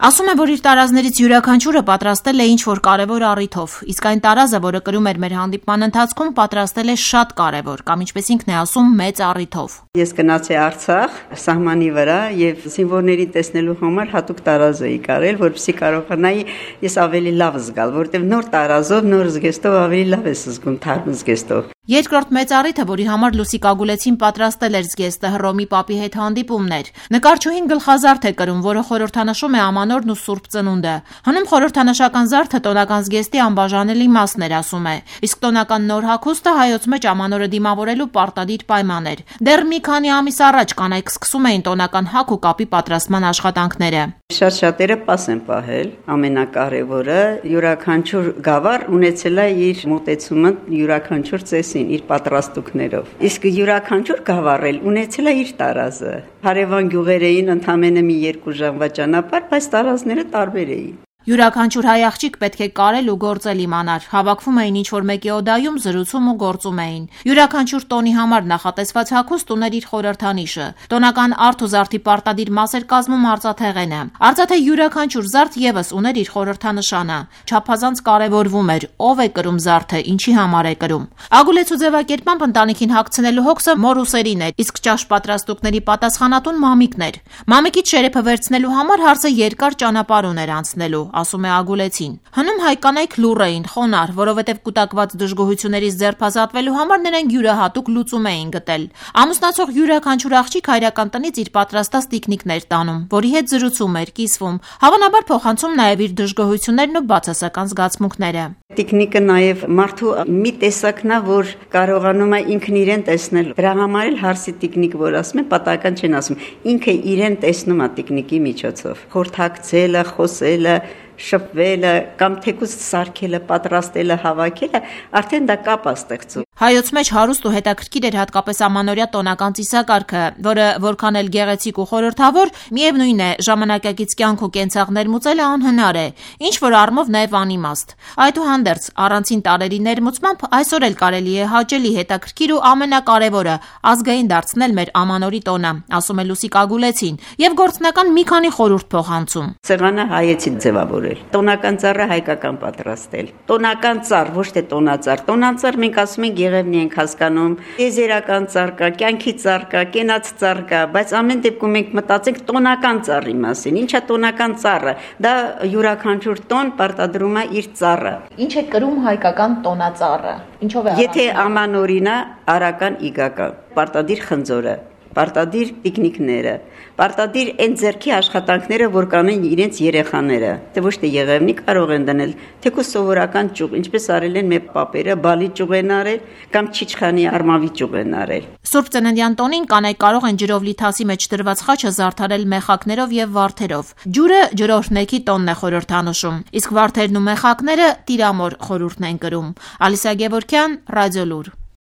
Ասում է, որ իր տարազներից յուրաքանչյուրը պատրաստել է ինչ-որ կարևոր առիթով, իսկ այն տարազը, որը կրում էր մեր հանդիպման ընթացքում, պատրաստել է շատ կարևոր, կամ ինչպես ինքն է ասում, մեծ առիթով։ Ես գնացի Արցախ, սահմանի վրա եւ զինվորների տեսնելու համար հատուկ տարազ էի կարել, որպեսզի կարողանայի ես ավելի լավ զգալ, որտեղ նոր տարազով, նոր զգեստով ավելի լավ ես զգում, թարմ զգեստով։ Երկրորդ մեծ առիթը, որի համար Լուսիկ Ագուլեցին պատրաստել էր զգեստը, Հռոմի պապի հետ հանդիպումն էր։ Նկարչուհին գլխազարդ է կրում, որը խորհրդանշում է ամանորն ու Սուրբ Ծնունդը։ Հնում խորհրդանշական զարդը տոնական զգեստի անբաժանելի մասն էր, ասում է, իսկ տոնական նոր հագուստը հայոց մեջ ամանորը դիմավորելու պարտադիր պայման էր։ Դեռ մի քանի ամիս առաջ կանայք սկսում էին տոնական հագ ու կապի պատրաստման աշխատանքները։ Շատերը պաս են պահել, ամենակարևորը յուրաքանչյուր գավառ ունեցել է իր մոտեցումը յուրաքանչյուր ծեսին, իր պատրաստուկներով։ Իսկ յուրաքանչյուր գավառ էլ ունեցել է իր տարազը։ Հարևան գյուղեր էին ընդամենը մի 2 ժամվա ճանապարհ, բայց տարազները տարբեր էին։ Յուրաքանչյուր հայ աղջիկ պետք է կարել ու գործել իմանար, հավաքվում էին ինչ-որ մեկի օդայում, զրուցում ու գործում էին։ Յուրաքանչյուր տոնի համար նախատեսված հագուստ ուներ իր խորհրդանիշը։ Տոնական արդ ու զարդի պարտադիր մաս էր կազմում արծաթեղենը։ Արծաթե յուրաքանչյուր զարդ եւս ուներ իր խորհրդանշանը։ Չափազանց կարևորվում էր ով է կրում զարդը, ինչի համար է կրում։ Ագուլեցու ձևակերպամբ ընտանիքին հագցնելու հոգսը մորուսերին էր, իսկ ճաշ պատրաստուկների պատասխանատուն մամիկն էր։ Մամիկից շերեփը վերցնելու համար հարցը երկար ճանապարհ ուներ անցնելու, ասում է Ագուլեցին։ Հնում հայ կանայք լուռ էին, խոնարհ, որովհետև կուտակված դժգոհություններից ձերբազատվելու համար նրանք յուրահատուկ լուծում էին գտել։ Ամուսնացող յուրաքանչյուր աղջիկ հայրական տնից իր պատրաստած տիկնիկներ տանում, որի հետ զրուցում էր, կիսվում, հավանաբար փոխանցում նաև իր դժգոհություններն ու բացասական զգացմունքները։ Տիկնիկը նաև մարդու մի տեսակն է, որ կարողանում է ինքն իրեն տեսնել։ Դրա համար էլ հարսի տիկնիկ, որ ասում է, պատահական չեն ասում, ինքը իրեն տեսնում է տիկնիկի միջոցով։ Խորհրդակցելը, խոսելը, շփվելը կամ թեկուզ սարքելը, պատրաստելը, հավաքելը, արդեն դա կապ է ստեղծում։ Հայոց մեջ հարուստ ու հետաքրքիր էր հատկապես ամանորյա տոնական ծիսակարգը, որը որքան էլ գեղեցիկ ու խորհրդավոր, միևնույն է, ժամանակակից կյանք ու կենցաղ ներմուծելը անհնար է, ինչ որ առումով նաև անիմաստ։ Այդուհանդերձ, առանցին տարերի ներմուծմամբ այսօր էլ կարելի է հաճելի, հետաքրքիր ու ամենակարևորը ազգային դարձնել մեր ամանորի տոնը, ասում է Լուսիկ Ագուլեցին, եւ գործնական մի քանի խորհուրդ փոխանցում։ Սեղանը հայեցի ձևավորել, տոնական ծառը հայկական պատրաստել, տոնական ծառ, ոչ թե տոնածառ, տոնածառ մենք ասում ենք Եղևնի ենք հասկանում, եզերական ծառ կա, կյանքի ծառ կա, կենաց ծառ կա, բայց ամեն դեպքում մենք մտածենք տոնական ծառի մասին։ Ինչ է տոնական ծառը։ Դա յուրաքանչյուր տոն պարտադրում է իր ծառը։ Ինչ է կրում հայկական տոնածառը։ Ինչով է։ Եթե ամանորին է, արական իգական, պարտադիր խնձորը, պարտադիր տիկնիկները, պարտադիր այն ձեռքի աշխատանքները, որ կանեն իրենց երեխաները, թե ոչ թե եղևնի կարող են դնել, թեկուզ սովորական ճյուղ, ինչպես արել են մեր պապերը, բալի ճյուղ են արել կամ չիչխանի արմավի ճյուղ են արել։ Սուրբ Ծննդյան տոնին կանայք կարող են ջրով լիթասի մեջ դրված խաչը զարդարել մեխակներով եւ վարդերով։ Ջուրը ջրօրհնեքի տոնն է խորհրդանշում, իսկ վարդերն ու մեխակները տիրամոր խորհուրդն են կրում։ Ալիսա Գևորգյան, Ռադիոլուր։